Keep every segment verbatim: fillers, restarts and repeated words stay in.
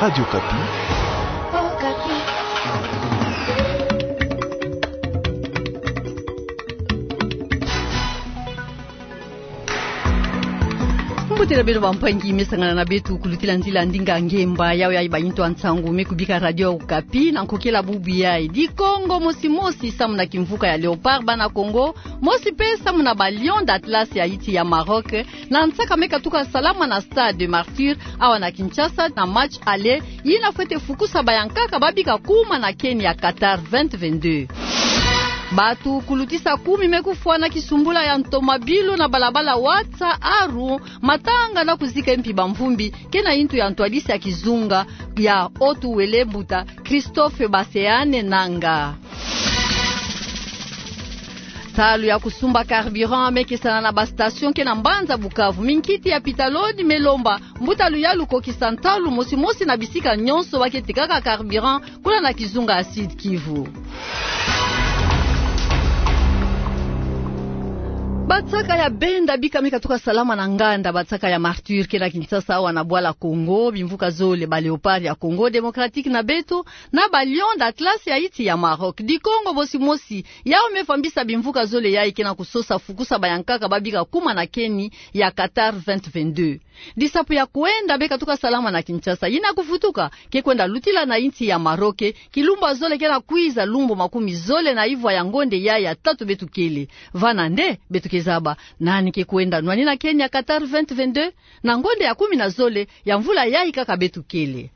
Radio Okapi. Mbote na beno bampangi me sangana na beto kulutila nzila ndinga ngemba, yawe yayi ba ntu ya nsangu me kubika Radio Okapi na nkokela bubu yayi. Di Kongo mosi mosi samu na kimvuka ya Léopard, bana Kongo, mosi pe samu na ba Lions d'Atlas ya insi ya Maroc, na nsaka me katuka salama na Stade des Martyrs, awa na Kinshasa, na match aller, yina fwete fukusa bayankaka babika kuma na keni ya Qatar vingt vingt-deux. Bato kulutisa kumi me kufwa na kisumbula ya ntomabilu na balabala Watsa Aru, matanga na kuzika mpi bamvumbi, ke na ntu ya ntwadisi ya kizunga ya Haut-Uele, mbuta Christophe Baseane Nanga. Ntalu ya kusumba carburant me kesana na ba station ke na mbanza Bukavu. Minkiti ya Pitaloni me lomba mbuta luyalu kokisa ntalu mosi mosi na bisika nyonso ba ke tekaka carburant kuna na kizunga ya Sud-Kivu. Bansaka ya benda bika me katuka salama na nganda, bansaka ya Martyrs ke na Kinshasa, awa na bwala Congo, bimvuka zole, ba Léopards ya Congo Démocratique na beto, na ba Lions d'Atlas ya insi ya Maroc. Di Kongo mosi mosi, yawu me vambisa bimvuka zole yayi ke na kusosa fukusa bayankaka babika kuma na keni ya Qatar vingt vingt-deux. Disapu ya kwenda be katuka salama na Kinshasa. Yina kuvutuka, ke kwenda lutila na insi ya Maroc, kilumbu ya zole ke na kwiza, lumbu makumi zole na ivwa ya ngonde yayi ya tatu beto kele. Vana nde beto ke zaba nani ke kwenda nwani na keni ya Qatar vingt vingt-deux, na ngonde ya kumi na zole ya mvula yayi kaka beto kele.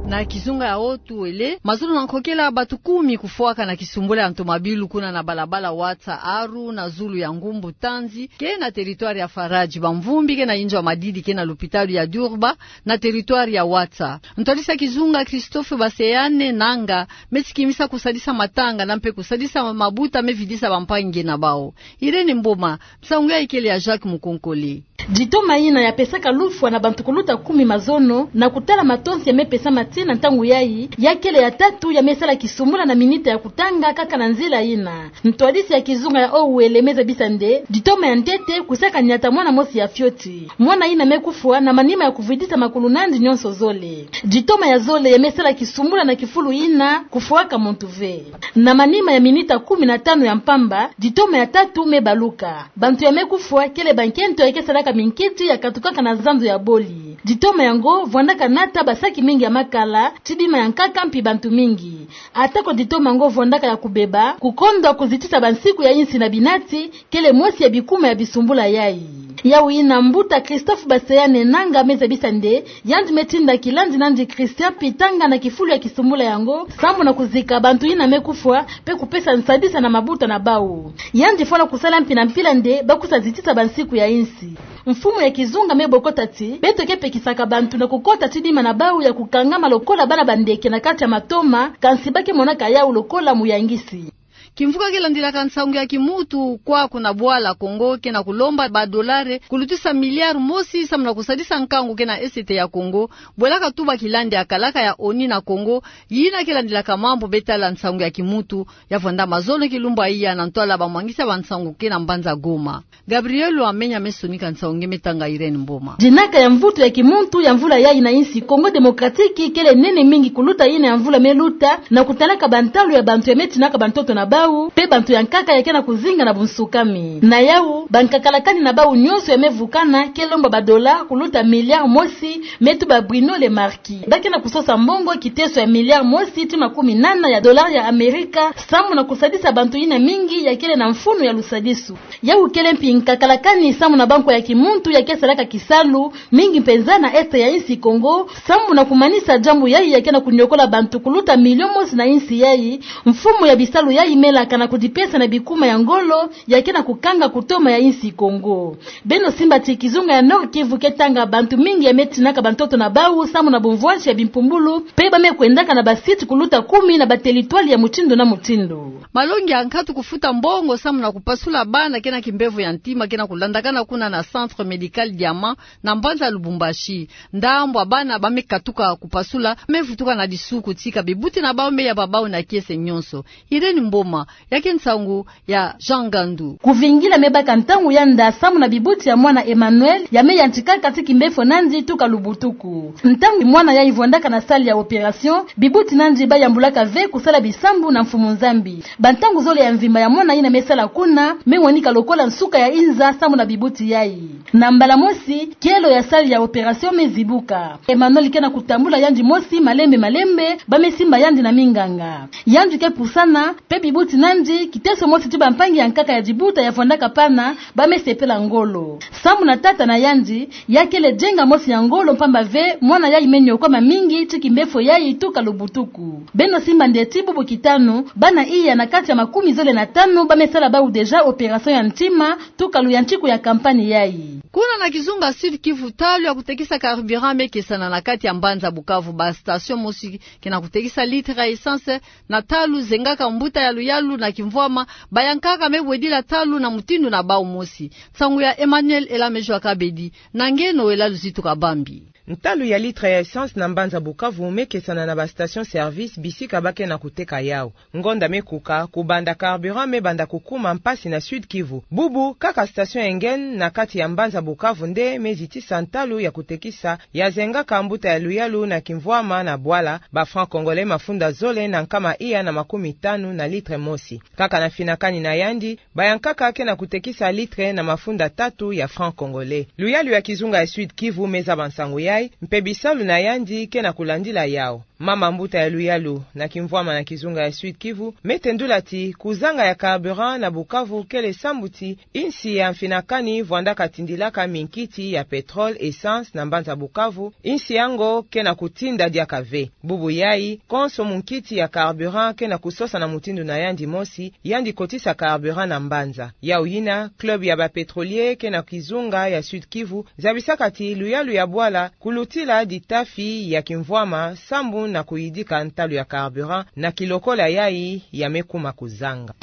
Na kizunga ya Haut-Uele, mazono na nkokela, bato kumi kufwaka na kisumbula ya ntomabilu kuna na balabala Watsa Aru na zulu ya ngumbu Tanzi, ke na territoire ya Faradji. Bamvumbi ke na inzo ya madidi ke na lopitalo ya Durba, na territoire ya Watsa. Ntwadisi ya kizunga Christophe Baseane Nanga me sikimisa kusadisa matanga na mpe kusadisa mabuta me vidisa bampangi na bawu. Irène Mboma, nsangu yayi kele ya Jacques Mukonkole. Ditoma yina ya pesaka lufwa na bantu kuluta kumi mazono, na kutala matonsi ya me pesama tii na ntangu yayi, ya kele ya tatu ya me sala kisumbula na minita ya kutanga kaka na nzila yina. Ntwadisi ya kizunga ya Haut-Uele me zabisa nde ditoma ya ntete kusaka nyata mwana mosi ya fioti. Mwana yina me kufwa na manima ya kuvidisa makulu nandi nyonso zole. Ditoma ya zole ya me sala kisumbula na kifulu yina kufwaka muntu ve. Na manima ya minita kumi na tanu ya mpamba, ditoma ya tatu me baluka. Bantu ya me kufwa kele bankento ya ke salaka minkiti ya katukaka na zandu ya boli. Ditoma yango vwandaka nata basaki mingi ya makala, ti bima ya nkaka mpi bantu mingi. Atako ditoma yango vwandaka ya kubeba, kukondwa kuzitisa bansiku ya insi na binati kele mosi ya bikuma ya bisumbula yayi. Yawu yina mbuta Christophe Baseane Nanga me zabisa nde yandi me tinda kilandi nandi Christian Pitanga na kifulu ya kisumbula yango, sambu na kuzika bantu yina me kufwa, mpe kupesa nsadisa na mabuta na bawu. Yandi fwana kusala mpi na mpila nde ba kusa zitisa bansiku ya insi. Mfumu ya kizunga me bokota ti beto ke pekisaka bantu na kukota ti bima na bawu ya kukangama lokola bana bandeke na kati ya matoma, kansi ba ke monaka yawu lokola muyangisi. Kimvuka ke landilaka nsangu ya kimuntu kwaku na bwala Congo ke na kulomba ba dolare kulutisa milliard mosi sambu na kusadisa nkangu ke na Est ya Congo, bwelaka tuba kilandi ya kalaka ya ONU na Congo, yina ke landilaka mambu me tala nsangu ya kimuntu, ya vwanda mazono kilumbu ya iya na ntwala bamwangisi ya bansangu ke na mbanza Goma. Gabriel Wamenya me sonika nsangu nge, me tanga Irène Mboma. Dinaka ya mvutu ya kimuntu ya mvula yayi na insi Congo Démocratique kele nene mingi kuluta yina ya mvula me luta, na kutalaka bantalu ya bantu ya me tinaka bantoto na bawu, mpe bantu ya nkaka ya ke na kuzinga na bunsukami. Na yawu, bankakalakani na bawu nyonso ya me vukana ke lomba ba dola kuluta milliard mosi, me tuba Bruno Le Marquis. Ba ke na kusosa mbongo kiteso ya milliard mosi ti makumi nana ya dollar ya Amerika, sambu na kusadisa bantu yina mingi ya kele na mfunu ya lusadisu. Yawu kele mpi nkakalakani sambu na bankwa ya kimuntu ya ke salaka kisalu mingi mpenza na Est ya insi Congo, sambu na kumanisa diambu yayi ya ke na kuniokola bantu kuluta million mosi na insi yayi. Mfumu ya bisalu yayi me laka na kudipesa na bikuma ya ngolo ya ke na kukanga kutoma ya insi Congo. Beno simba ti kizunga ya Nord-Kivu ke tanga bantu mingi ya me tinaka bantoto na bawu sambu na bumvwansi ya bimpumbulu, mpe ba me kwendaka na ba site kuluta kumi na ba territoire ya mutindu na mutindu. Malongi ya nkatu kufuta mbongo sambu na kupasula bana ke na kimbevo ya ntima ke na kulandakana kuna na Centre Médical Diamant na mbanza Lubumbashi. Ndambu ya bana ba me katuka kupasula me vutuka na disuku tika bibuti na bawu me yaba bawu na kiese nyonso. Irène Mboma. Ya ke nsangu ya Jean Gandu. Kuvingila me baka ntangu ya nda samu na bibuti ya mwana Emmanuel, ya me yantikaka ti kimbefo nandi tuka lubutuku. Ntangu mwana yayi vwandaka na salle ya opération, bibuti nandi bayambulaka ve kusala bisambu na Mfumu Nzambi. Bantangu zole ya mvimba ya mwana yina me sala kuna, me wanika lokola nsuka ya inza samu na bibuti yayi. Na mbala mosi, kielo ya salle ya opération me zibuka. Emmanuel ke na kutambula yandi mosi malembe malembe, ba me simba yandi na minganga. Yandi ke pusana, pe bibuti nandi, kiteso mosi ti bampangi ya nkaka ya dibuta ya vwandaka pana, ba me sepela ngolo. Samu na tata na yandi, ya kele dienga mosi ya ngolo mpamba ve, mwana yayi me niokwama mingi, ti kimbefo yayi tuka lubutuku. Beno simba nde ti bubu kitanu, bana iya na kati ya makumi zole na tanu, ba me sala bawu déjà opération ya ntima, tuka luyantiku ya campagne yayi. Kuna na kizunga Sud-Kivu, talu ya kutekisa carburant me kesana na kati ya mbanza Bukavu. Ba station mosi ke na kutekisa litre ya essence na talu zengaka mbuta ya luyalu na kimvwama, bayankaka me wedila talu na mutindu na bawu mosi. Nsangu ya Emmanuel Elamejo Akabedi, na ngeno Elalu Zitu Kabambi. Ntalu ya litre ya essence na mbanza Bukavu me kesana na ba station-service bisika ba ke na kuteka yawu. Ngonda me kuka, kubanda carburant me banda kukuma mpasi na Sud-Kivu. Bubu, kaka station ya ngeni na kati ya mbanza Bukavu nde me zitisa ntalu ya kutekisa ya zengaka mbuta ya luyalu na kimvwama na bwala, ba francs congolais mafunda zole na nkama iya na makumi tanu na litre mosi. Kaka na mfinakani na yandi, bayankaka ke na kutekisa litre na mafunda tatu ya francs congolais. Luyalu ya kizunga ya Sud-Kivu me zaba nsangu yayi, mpe bisalu na yandi ke na kulandila yawu. Mama mbuta ya luyalu na kimvwama na kizunga ya Sud-Kivu me tendula ti kuzanga ya carburant na Bukavu kele sambu ti insi ya mfinakani vwandaka tindilaka minkiti ya pétrole, essence na mbanza Bukavu, insi yango ke na kutinda diaka ve. Bubu yayi, konso munkiti ya carburant ke na kusosa na mutindu na yandi mosi, yandi kotisa carburant na mbanza. Yawu yina, club ya ba pétroliers ke na kizunga ya Sud-Kivu zabisaka ti luyalu ya bwala kulutila ditafi ya kimvwama sambu na kuyidika ntalu ya carburant na kilokola yayi ya me kuma kuzanga.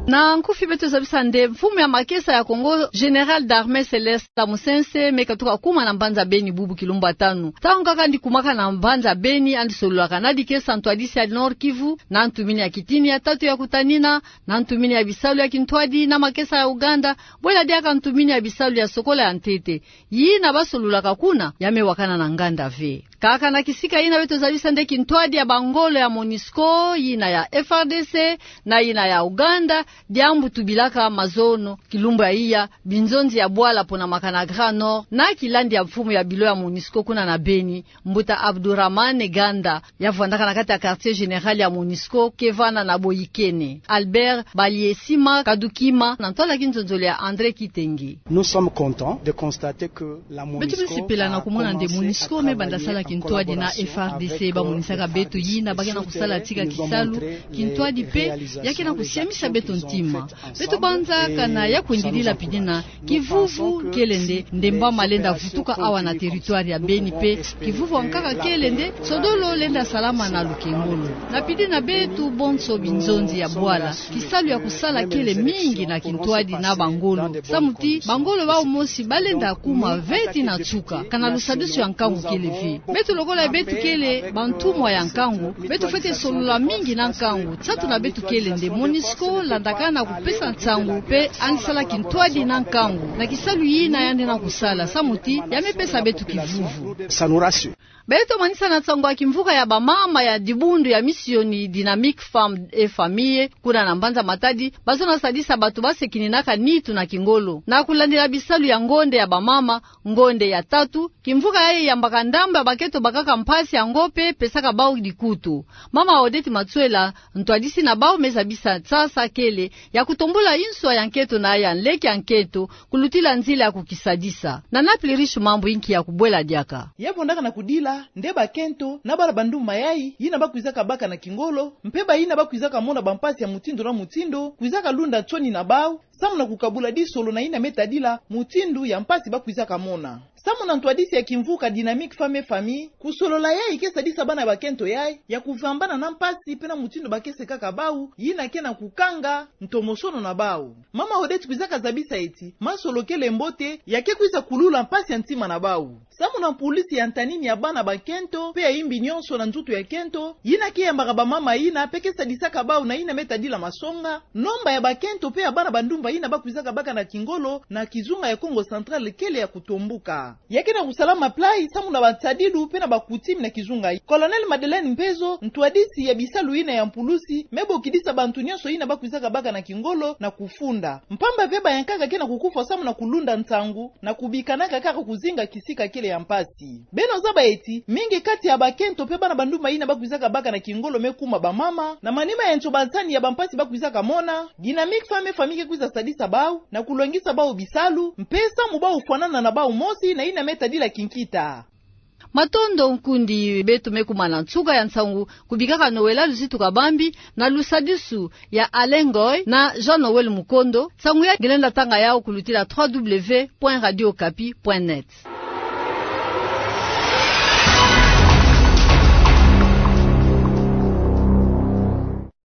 Na nkufi beto zabisa nde mfumu ya makesa ya Congo, général d'armée Célestin Musense, me katuka kuma na mbanza Beni bubu kilumbu ya tanu. Ntangu kaka yandi kumaka na mbanza Beni, yandi sololaka na dikesa ntwadisi ya Nord-Kivu, na ntumini ya kitini ya tatu ya kutanina, na ntumini ya bisalu ya kintwadi na makesa ya Ouganda, bwela diaka ntumini ya bisalu ya sokola ya ntete. Yina ba sololaka kuna, ya me wakana na nganda ve. Kaka na kisika yina beto zabisa nde kintwadi ya bangolo ya MONUSCO, yina ya F R D C, na yina ya Ouganda, diambu tubilaka mazono, kilumbu ya iya, binzonzi ya bwala pona makana Grand Nord, na kilandi ya mfumu ya bilo ya MONUSCO kuna na Beni, mbuta Abdourahamane Ganda, ya vwandaka na kati ya quartier général ya MONUSCO, ke vanda na Boyikene. Albert Baliesima Kadukima, na ntwala kinzonzolo ya André Kitenge. Nous sommes contents de constater que la MONUSCO... Beto me sepela na kumona nde MONUSCO me banda sala kintwadi na F R D C, ba monisaka beto yina ba ke na kusala tika kisalu, kintwadi mpe ya ke na kusiamisa beto ntima. Beto banza kana ya kwendidila pidina kivuvu kele nde ndemba ma lenda vutuka awa na territoire ya Beni mpe kivuvu ankaka kele nde sodolo lenda salama na lukengolo. Na pidina beto bonso binzonzi ya bwala, kisalu ya kusala kele mingi na kintwadi na bangolo. Samu ti bangolo bau mosi ba lenda kuma ve ti na nsuka, kana lusadisu ya nkangu kele ve. Beto lokola beto kele bantumwa ya nkangu, beto fwete solola mingi na nkangu. Nsatu na beto kele nde MONUSCO landaka na kupesa nsangu mpe yandi sala kintwadi na nkangu na kisalu yina yandi na kusala, samu ti ya me pesa beto kivuvu. Beto manisa na nsangu ya kimvuka ya bamama ya dibundu ya misioni Dynamique Femmes et Familles, kuna na mbanza Matadi, bazono sadisa bato ba sekininaka nitu na kingolo. Na kulandila bisalu ya ngonde ya bamama, ngonde ya tatu, kimvuka yayi yambaka ndambu ya bankento bakaka mpasi, yango mpe pesaka bau dikutu. Mama Odette Matsuela, ntwadisi na bau, me zabisa nsasa kele ya kutombula inswa ya nkento na ya nleke ya nkento, kulutila nzila ya kukisadisa. Nana Pliriche Mambu inki ya kubwela diaka. Ya vondaka na kudila nde bankento na bala bandumba yayi, yina ba kwizaka baka na kingolo, mpe bayina ba kwizaka mona bampasi ya mutindu na mutindu, kwizaka lunda nsoni na bau, samu na kukabula disolo na yina me tadila mutindu ya mpasi ba kwizaka mona. Samu na ntwadisi ya kimvuka Dynamique Femmes et Familles, kusolola yayi ke sadisa bana bakento yayi ya kuvambana na mpasi pe na mutindu ba ke sekaka bau, yina ke na kukanga ntomosono na bau. Mama Odette kwizaka zabisa eti, masolo kele mbote, ya ke kwiza kulula mpasi ya ntima na bau. Samu na mpulusi ya ntanini ya bana bakento pe ya yimbi nionso na nzutu ya kento, yina ke yambaka bamama yina pe ke sadisaka bau na yina me tadila masonga, nomba ya bakento pe ya bana bandumba yina ba kwizaka baka na kingolo na kizunga ya Kongo Central kele ya kutombuka. Ya ke na kusalama plat samu na batadilu pe na bakutimi na kizunga. Colonel Madeleine Mpezo, ntwadisi ya bisalu yina ya mpulusi, me bokidisa bantu nionso yina ba kwizaka baka na kingolo na kufunda. Mpamba ve bayankaka ke na kukufwa samu na kulunda nsangu, na kubikanaka kaka kuzinga kisika kele ya mpasi. Beno zaba eti, mingi kati ya bakento pe bana bandumba yina ba kwizaka baka na kingolo me kuma bamama, na manima ya ntobansani ya bampasi ba kwizaka mona, Dynamique Femmes et Familles ke kwiza sadisa bau, na kulongisa bau bisalu, mpe samu bau fwanana na bau mosi na yina me tadila kinkita. Matondo nkundi, beto me kuma na nsuka ya nsangu, kubikaka nowela luzitu kabambi, na lusadisu ya Alain Ngoy na Jean Noël Mukondo, nsangu ya nge lenda tanga yawu kulutila trois W point radio okapi point net.